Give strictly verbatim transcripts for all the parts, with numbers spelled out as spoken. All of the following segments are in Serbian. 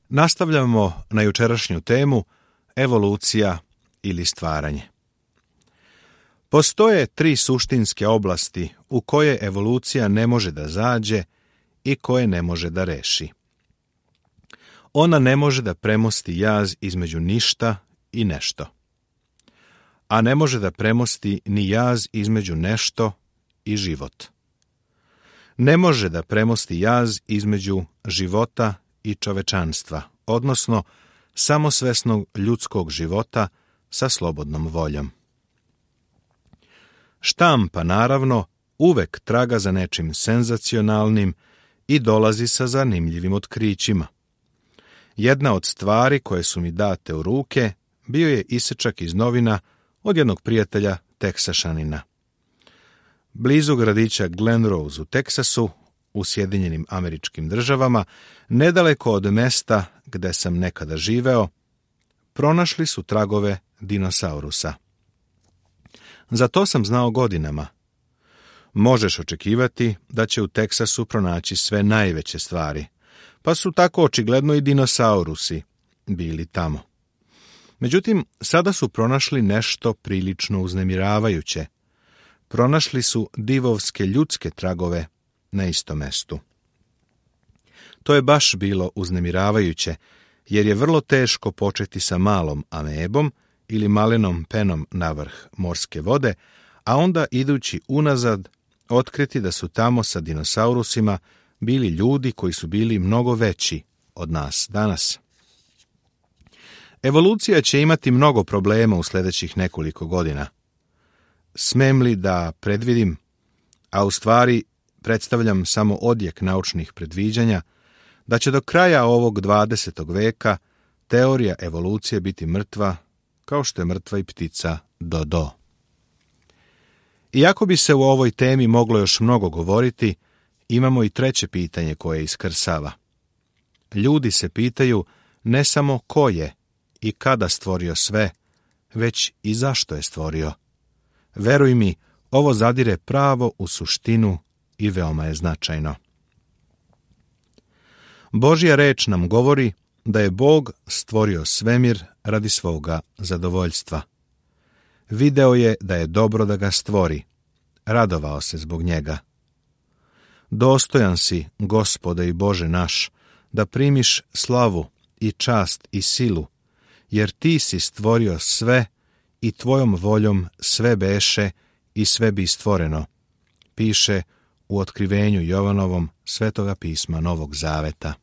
Nastavljamo na jučerašnju temu evolucija ili stvaranje. Postoje tri suštinske oblasti u koje evolucija ne može da zađe i koje ne može da reši. Ona ne može da premosti jaz između ništa i nešto, a ne može da premosti ni jaz između nešto i život. Ne može da premosti jaz između života i čovečanstva, odnosno samosvesnog ljudskog života sa slobodnom voljom. Štampa, naravno, uvek traga za nečim senzacionalnim i dolazi sa zanimljivim otkrićima. Jedna od stvari koje su mi date u ruke bio je isečak iz novina od jednog prijatelja Teksašanina. Blizu gradića Glen Rose u Teksasu, u Sjedinjenim Američkim Državama, nedaleko od mesta gde sam nekada živeo, pronašli su tragove dinosaurusa. Za to sam znao godinama. Možeš očekivati da će u Teksasu pronaći sve najveće stvari, pa su tako očigledno i dinosaurusi bili tamo. Međutim, sada su pronašli nešto prilično uznemiravajuće. Pronašli su divovske ljudske tragove na istom mestu. To je baš bilo uznemiravajuće, jer je vrlo teško početi sa malom amebom ili malenom penom na vrh morske vode, a onda idući unazad otkriti da su tamo sa dinosaurusima bili ljudi koji su bili mnogo veći od nas danas. Evolucija će imati mnogo problema u sljedećih nekoliko godina. Smem li da predvidim, a u stvari predstavljam samo odjek naučnih predviđanja, da će do kraja ovog dvadesetog veka teorija evolucije biti mrtva, kao što je mrtva i ptica dodo. Iako bi se u ovoj temi moglo još mnogo govoriti, imamo i treće pitanje koje iskrsava. Ljudi se pitaju ne samo ko je i kada stvorio sve, već i zašto je stvorio. Veruj mi, ovo zadire pravo u suštinu i veoma je značajno. Božja reč nam govori da je Bog stvorio svemir radi svoga zadovoljstva. Video je da je dobro da ga stvori, radovao se zbog njega. Dostojan si, Gospode i Bože naš, da primiš slavu i čast i silu, jer ti si stvorio sve i tvojom voljom sve beše i sve bi stvoreno, piše u otkrivenju Jovanovom Svetoga pisma Novog Zaveta.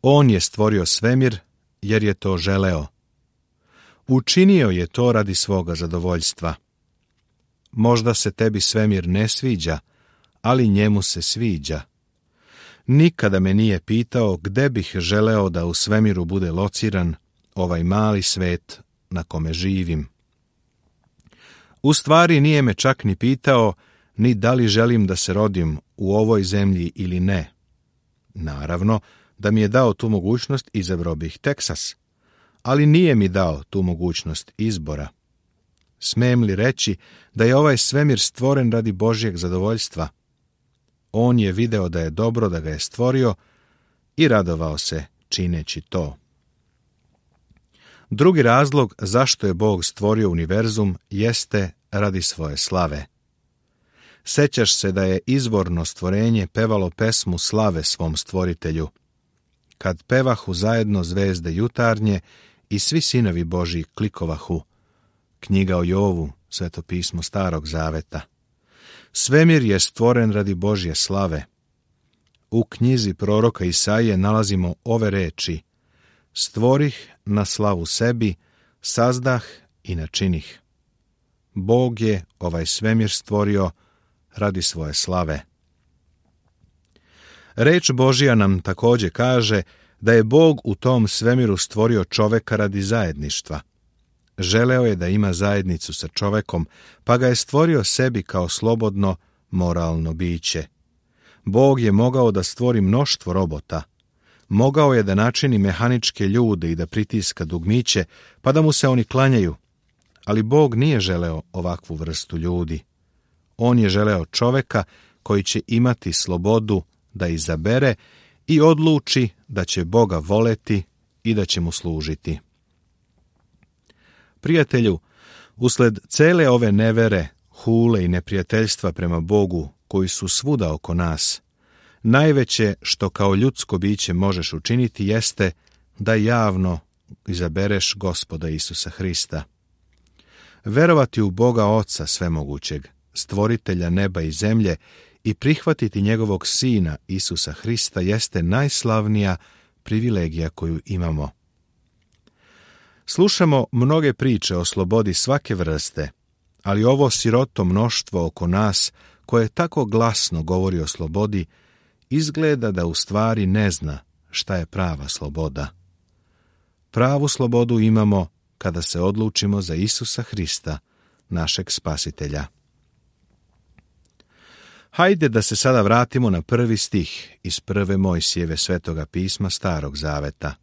On je stvorio svemir jer je to želeo. Učinio je to radi svoga zadovoljstva. Možda se tebi svemir ne sviđa, ali njemu se sviđa. Nikada me nije pitao gde bih želeo da u svemiru bude lociran ovaj mali svet na kome živim. U stvari nije me čak ni pitao ni da li želim da se rodim u ovoj zemlji ili ne. Naravno, da mi je dao tu mogućnost, izabrao bih Teksas, ali nije mi dao tu mogućnost izbora. Smem li reći da je ovaj svemir stvoren radi Božjeg zadovoljstva? On je video da je dobro da ga je stvorio i radovao se čineći to. Drugi razlog zašto je Bog stvorio univerzum jeste radi svoje slave. Sećaš se da je izvorno stvorenje pevalo pesmu slave svom stvoritelju. Kad pevahu zajedno zvezde jutarnje i svi sinovi Božji klikovahu. Knjiga o Jovu, Sveto pismo Starog Zaveta. Svemir je stvoren radi Božje slave. U knjizi proroka Isaije nalazimo ove reči: stvorih na slavu sebi, sazdah i načinih. Bog je ovaj svemir stvorio radi svoje slave. Reč Božja nam također kaže da je Bog u tom svemiru stvorio čoveka radi zajedništva. Želeo je da ima zajednicu sa čovekom, pa ga je stvorio sebi kao slobodno, moralno biće. Bog je mogao da stvori mnoštvo robota. Mogao je da načini mehaničke ljude i da pritiska dugmiće, pa da mu se oni klanjaju. Ali Bog nije želeo ovakvu vrstu ljudi. On je želeo čoveka koji će imati slobodu da izabere i odluči da će Boga voleti i da će mu služiti. Prijatelju, usled cele ove nevere, hule i neprijateljstva prema Bogu koji su svuda oko nas, najveće što kao ljudsko biće možeš učiniti jeste da javno izabereš Gospoda Isusa Hrista. Verovati u Boga Oca Svemogućeg, stvoritelja neba i zemlje, i prihvatiti njegovog Sina Isusa Hrista jeste najslavnija privilegija koju imamo. Slušamo mnoge priče o slobodi svake vrste, ali ovo siroto mnoštvo oko nas, koje tako glasno govori o slobodi, izgleda da u stvari ne zna šta je prava sloboda. Pravu slobodu imamo kada se odlučimo za Isusa Hrista, našeg Spasitelja. Hajde da se sada vratimo na prvi stih iz prve Mojsijeve svetoga pisma Starog Zaveta.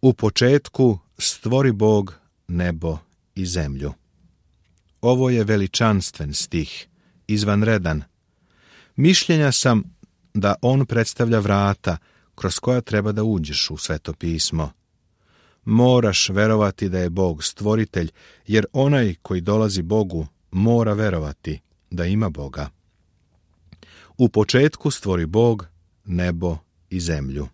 U početku stvori Bog nebo i zemlju. Ovo je veličanstven stih, izvanredan. Mišljenja sam da on predstavlja vrata kroz koja treba da uđeš u Sveto pismo. Moraš verovati da je Bog stvoritelj, jer onaj koji dolazi Bogu mora verovati da ima Boga. U početku stvori Bog nebo i zemlju.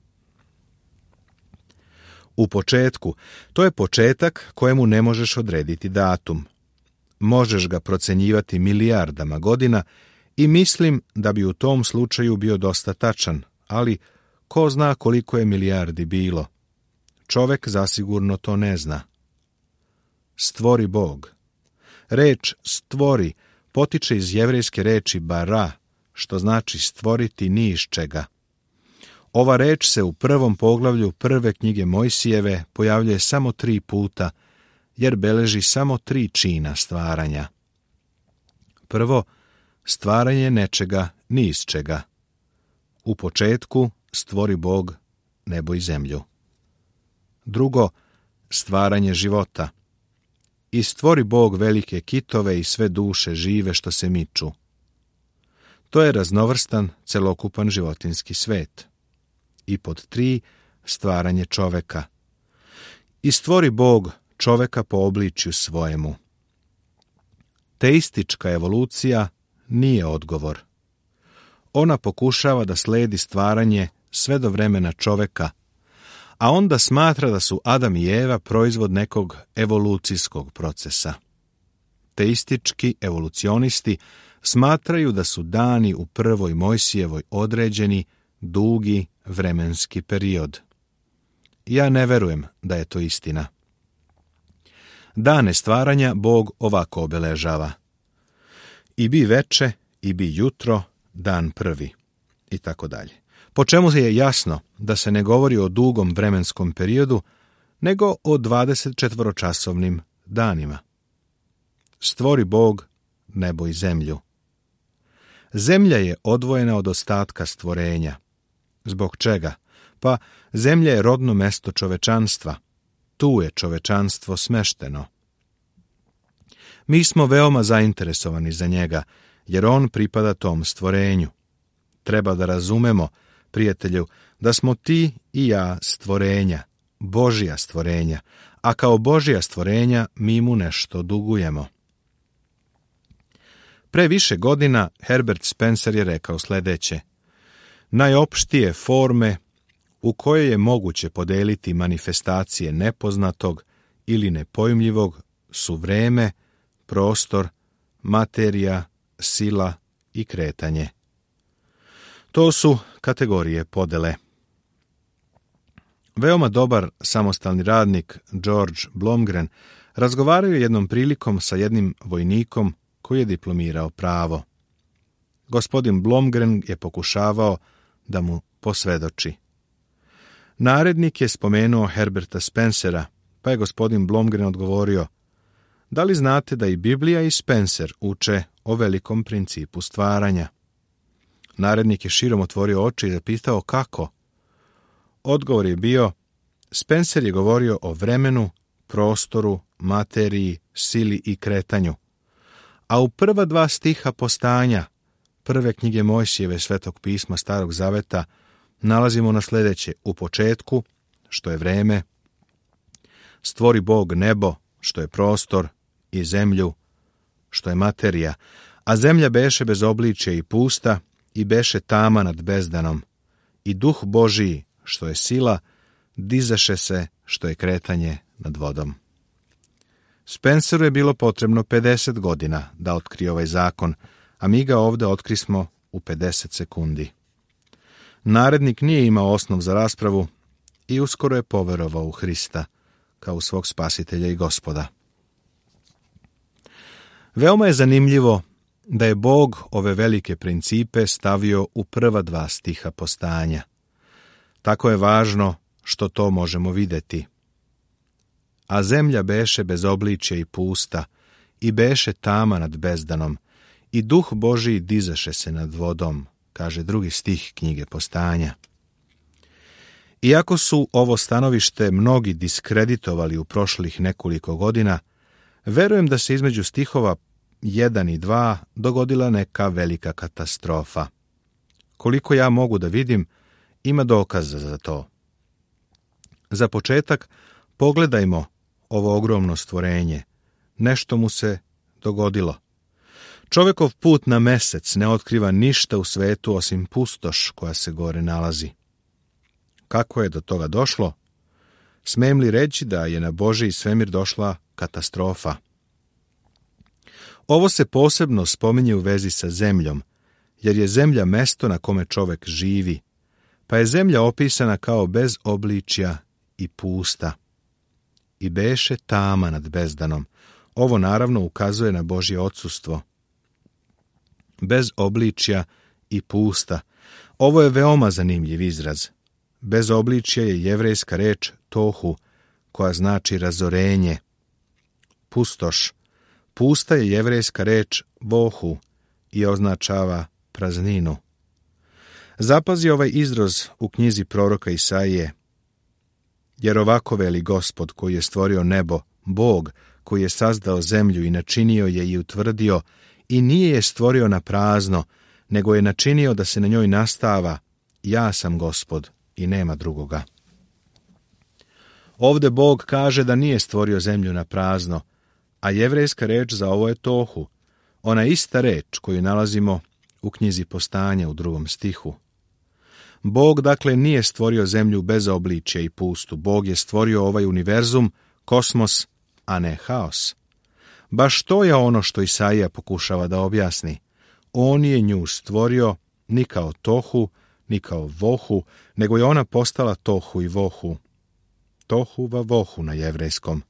U početku, to je početak kojemu ne možeš odrediti datum. Možeš ga procenjivati milijardama godina i mislim da bi u tom slučaju bio dosta tačan, ali ko zna koliko je milijardi bilo. Čovek zasigurno to ne zna. Stvori Bog. Reč stvori potiče iz jevrejske reči bara, što znači stvoriti ni iz čega. Ova reč se u prvom poglavlju prve knjige Mojsijeve pojavljuje samo tri puta, jer beleži samo tri čina stvaranja. Prvo, stvaranje nečega ni iz čega. U početku stvori Bog nebo i zemlju. Drugo, stvaranje života. I stvori Bog velike kitove i sve duše žive što se miču. To je raznovrstan, celokupan životinjski svet. I pod tri, stvaranje čoveka. I stvori Bog čoveka po obličju svojemu. Teistička evolucija nije odgovor. Ona pokušava da sledi stvaranje sve do vremena čoveka, a onda smatra da su Adam i Eva proizvod nekog evolucijskog procesa. Teistički evolucionisti smatraju da su dani u prvoj Mojsijevoj određeni dugi vremenski period. Ja ne verujem da je to istina. Dane stvaranja Bog ovako obeležava. I bi veče, i bi jutro, dan prvi, i tako dalje. Po čemu je jasno da se ne govori o dugom vremenskom periodu, nego o dvadesetčetvoročasovnim danima. Stvori Bog nebo i zemlju. Zemlja je odvojena od ostatka stvorenja. Zbog čega? Pa zemlja je rodno mesto čovečanstva. Tu je čovečanstvo smešteno. Mi smo veoma zainteresovani za njega, jer on pripada tom stvorenju. Treba da razumemo, prijatelju, da smo ti i ja stvorenja, Božja stvorenja, a kao Božja stvorenja mi mu nešto dugujemo. Pre više godina Herbert Spencer je rekao sledeće: najopštije forme u kojoj je moguće podeliti manifestacije nepoznatog ili nepojmljivog su vreme, prostor, materija, sila i kretanje. To su kategorije podele. Veoma dobar samostalni radnik George Blomgren razgovarao je jednom prilikom sa jednim vojnikom koji je diplomirao pravo. Gospodin Blomgren je pokušavao da mu posvedoči. Narednik je spomenuo Herberta Spencera, pa je gospodin Blomgren odgovorio: da li znate da i Biblija i Spencer uče o velikom principu stvaranja? Narednik je širom otvorio oči i zapitao kako. Odgovor je bio: Spencer je govorio o vremenu, prostoru, materiji, sili i kretanju. A u prva dva stiha postanja prve knjige Mojsijeve svetog pisma Starog Zaveta nalazimo na sljedeće: u početku, što je vreme, stvori Bog nebo, što je prostor, i zemlju, što je materija, a zemlja beše bez obličja i pusta, i beše tama nad bezdanom, i duh Božiji, što je sila, dizaše se, što je kretanje nad vodom. Spenceru je bilo potrebno pedeset godina da otkrije ovaj zakon, a mi ga ovdje otkrismo u pedeset sekundi. Narednik nije imao osnov za raspravu i uskoro je poverovao u Hrista kao svog spasitelja i gospoda. Veoma je zanimljivo da je Bog ove velike principe stavio u prva dva stiha Postajanja. Tako je važno što to možemo vidjeti. A zemlja beše bez obličja i pusta, i beše tama nad bezdanom, i duh Božiji dizaše se nad vodom, kaže drugi stih knjige Postajanja. Iako su ovo stanovište mnogi diskreditovali u prošlih nekoliko godina, verujem da se između stihova jedan i dva dogodila neka velika katastrofa. Koliko ja mogu da vidim, ima dokaza za to. Za početak, pogledajmo ovo ogromno stvorenje. Nešto mu se dogodilo. Čovekov put na mesec ne otkriva ništa u svetu osim pustoš koja se gore nalazi. Kako je do toga došlo? Smijem li reći da je na Božji svemir došla katastrofa? Ovo se posebno spominje u vezi sa zemljom, jer je zemlja mesto na kome čovek živi, pa je zemlja opisana kao bez obličja i pusta. I beše tama nad bezdanom. Ovo naravno ukazuje na Božje odsustvo. Bez obličja i pusta. Ovo je veoma zanimljiv izraz. Bez obličja je jevrejska reč tohu, koja znači razorenje. Pustoš. Pusta je jevrejska reč bohu i označava prazninu. Zapazi ovaj izraz u knjizi proroka Isaije. Jer ovako veli Gospod koji je stvorio nebo, Bog koji je sazdao zemlju i načinio je i utvrdio, i nije je stvorio na prazno, nego je načinio da se na njoj nastava. Ja sam Gospod i nema drugoga. Ovde Bog kaže da nije stvorio zemlju na prazno, a jevrejska reč za ovo je tohu, ona ista reč koju nalazimo u knjizi Postajanja u drugom stihu. Bog dakle nije stvorio zemlju bez obličja i pustu. Bog je stvorio ovaj univerzum, kosmos, a ne haos. Baš to je ono što Isaija pokušava da objasni. On je nju stvorio ni kao tohu, ni kao vohu, nego je ona postala tohu i vohu. Tohu va vohu na jevrejskom.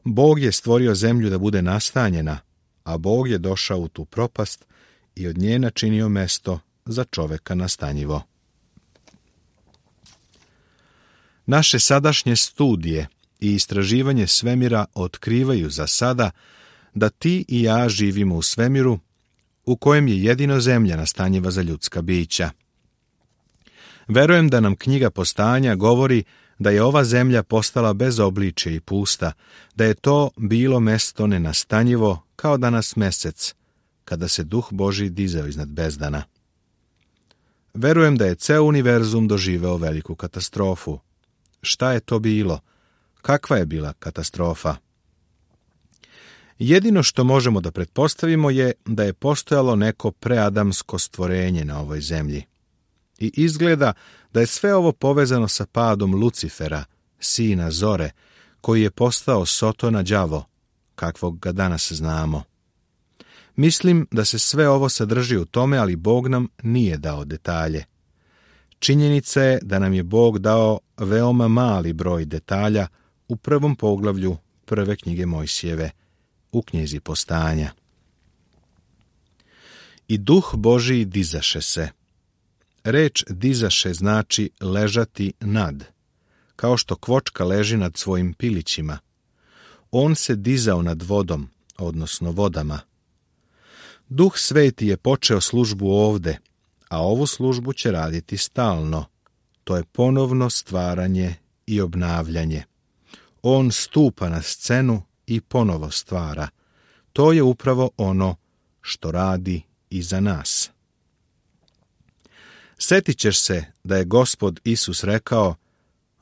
Bog je stvorio zemlju da bude nastanjena, a Bog je došao u tu propast i od nje načinio mesto za čoveka nastanjivo. Naše sadašnje studije i istraživanje svemira otkrivaju za sada da ti i ja živimo u svemiru u kojem je jedino zemlja nastanjiva za ljudska bića. Verujem da nam knjiga Postajanja govori da je ova zemlja postala bez obličja i pusta, da je to bilo mesto nenastanjivo kao danas mesec, kada se duh Božji dizao iznad bezdana. Verujem da je ceo univerzum doživeo veliku katastrofu. Šta je to bilo? Kakva je bila katastrofa? Jedino što možemo da pretpostavimo je da je postojalo neko preadamsko stvorenje na ovoj zemlji. I izgleda da je sve ovo povezano sa padom Lucifera, sina Zore, koji je postao Sotona đavo, kakvog ga danas znamo. Mislim da se sve ovo sadrži u tome, ali Bog nam nije dao detalje. Činjenica je da nam je Bog dao veoma mali broj detalja u prvom poglavlju prve knjige Mojsijeve, u knjizi Postajanja. I duh Božiji dizaše se. Reč dizaše znači ležati nad, kao što kvočka leži nad svojim pilićima. On se dizao nad vodom, odnosno vodama. Duh Sveti je počeo službu ovde, a ovu službu će raditi stalno. To je ponovno stvaranje i obnavljanje. On stupa na scenu i ponovo stvara. To je upravo ono što radi i za nas. Setit ćeš se da je Gospod Isus rekao: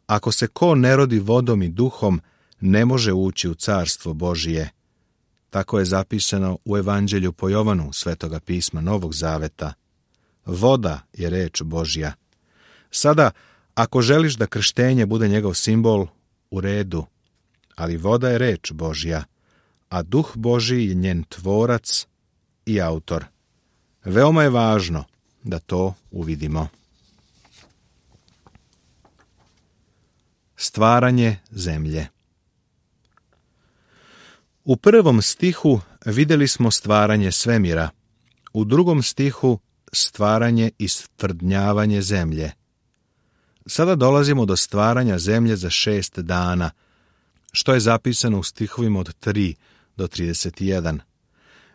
ako se ko ne rodi vodom i duhom, ne može ući u carstvo Božije. Tako je zapisano u Evanđelju po Jovanu, Svetoga pisma Novog Zaveta. Voda je reč Božja. Sada, ako želiš da krštenje bude njegov simbol, u redu, ali voda je reč Božja, a Duh Božji je njen tvorac i autor. Veoma je važno da to uvidimo. Stvaranje zemlje. U prvom stihu vidjeli smo stvaranje svemira, u drugom stihu stvaranje i stvrdnjavanje zemlje. Sada dolazimo do stvaranja zemlje za šest dana, što je zapisano u stihovima od tri do trideset jedan.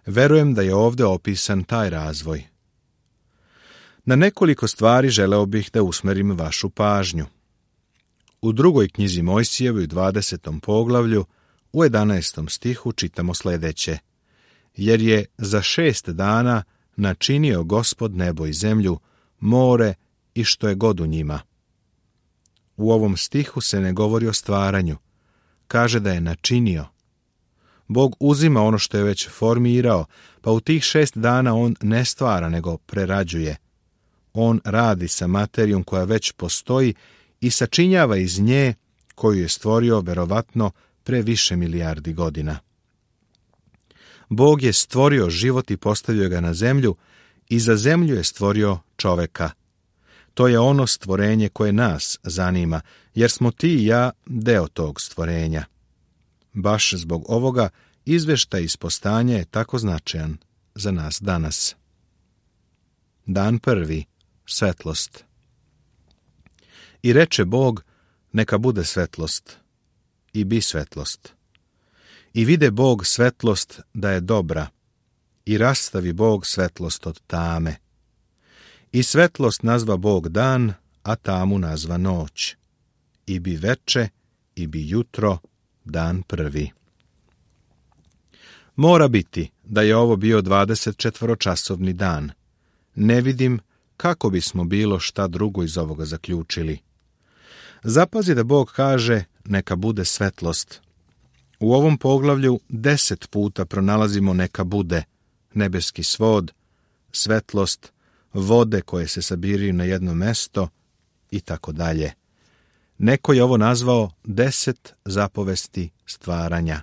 Verujem da je ovdje opisan taj razvoj. Na nekoliko stvari želeo bih da usmerim vašu pažnju. U drugoj knjizi Mojsijevoj, u dvadesetom poglavlju, u jedanaestom stihu čitamo sljedeće: jer je za šest dana načinio Gospod nebo i zemlju, more i što je god u njima. U ovom stihu se ne govori o stvaranju. Kaže da je načinio. Bog uzima ono što je već formirao, pa u tih šest dana on ne stvara, nego prerađuje. On radi sa materijom koja već postoji i sačinjava iz nje, koju je stvorio verovatno pre više milijardi godina. Bog je stvorio život i postavio ga na zemlju i za zemlju je stvorio čoveka. To je ono stvorenje koje nas zanima, jer smo ti i ja deo tog stvorenja. Baš zbog ovoga izveštaj iz postanja je tako značajan za nas danas. Dan prvi. Svetlost. I reče Bog: neka bude svetlost. I bi svetlost. I vide Bog svetlost da je dobra. I rastavi Bog svetlost od tame. I svetlost nazva Bog dan, a tamu nazva noć. I bi veče, i bi jutro, dan prvi. Mora biti da je ovo bio dvadesetčetvoročasovni dan. Ne vidim kako bismo bilo šta drugo iz ovoga zaključili. Zapazi da Bog kaže: neka bude svetlost. U ovom poglavlju deset puta pronalazimo neka bude, nebeski svod, svetlost, vode koje se sabiraju na jedno mesto i tako dalje. Neko je ovo nazvao deset zapovesti stvaranja.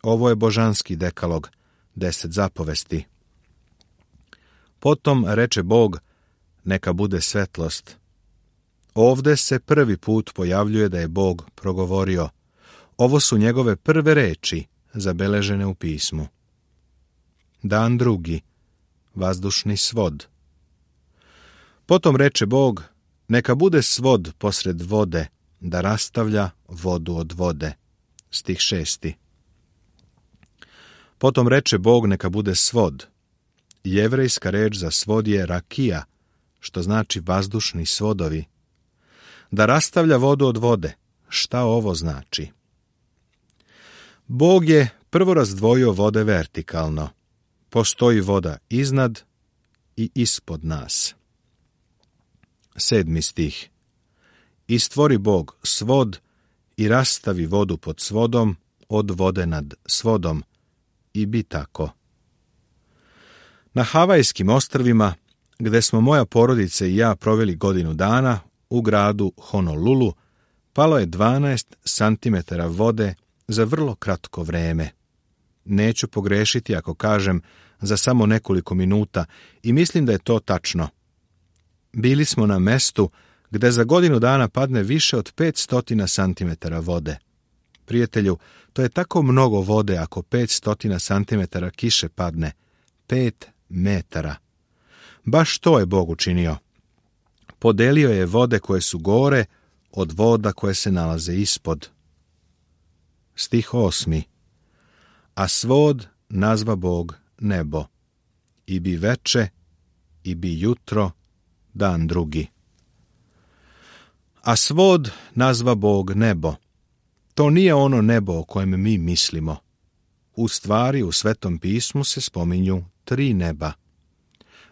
Ovo je božanski dekalog, deset zapovesti. Potom reče Bog: neka bude svetlost. Ovde se prvi put pojavljuje da je Bog progovorio. Ovo su njegove prve reči zabeležene u pismu. Dan drugi. Vazdušni svod. Potom reče Bog: neka bude svod posred vode, da rastavlja vodu od vode. Stih šesti. Potom reče Bog: neka bude svod. Jevrejska reč za svod je rakija, što znači vazdušni svodovi. Da rastavlja vodu od vode. Šta ovo znači? Bog je prvo razdvojio vode vertikalno. Postoji voda iznad i ispod nas. Sedmi stih. I stvori Bog svod i rastavi vodu pod svodom od vode nad svodom. I bi tako. Na Havajskim ostrvima, gde smo moja porodica i ja proveli godinu dana, u gradu Honolulu, palo je dvanaest santimetara vode za vrlo kratko vreme. Neću pogrešiti ako kažem za samo nekoliko minuta i mislim da je to tačno. Bili smo na mestu gde za godinu dana padne više od petsto santimetara vode. Prijatelju, to je tako mnogo vode ako petsto santimetara kiše padne. Pet metara. Baš to je Bog učinio. Podelio je vode koje su gore od voda koje se nalaze ispod. Stih osmi. A svod nazva Bog nebo. I bi veče, i bi jutro, dan drugi. A svod nazva Bog nebo. To nije ono nebo o kojem mi mislimo. U stvari, u Svetom pismu se spominju tri neba.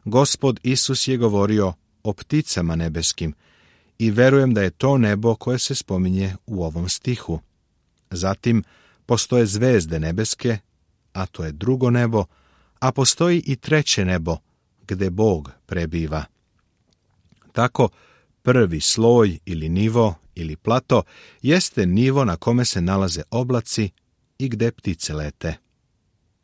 Gospod Isus je govorio o pticama nebeskim i verujem da je to nebo koje se spominje u ovom stihu. Zatim postoje zvezde nebeske, a to je drugo nebo, a postoji i treće nebo, gde Bog prebiva. Tako, prvi sloj ili nivo ili plato jeste nivo na kome se nalaze oblaci i gde ptice lete.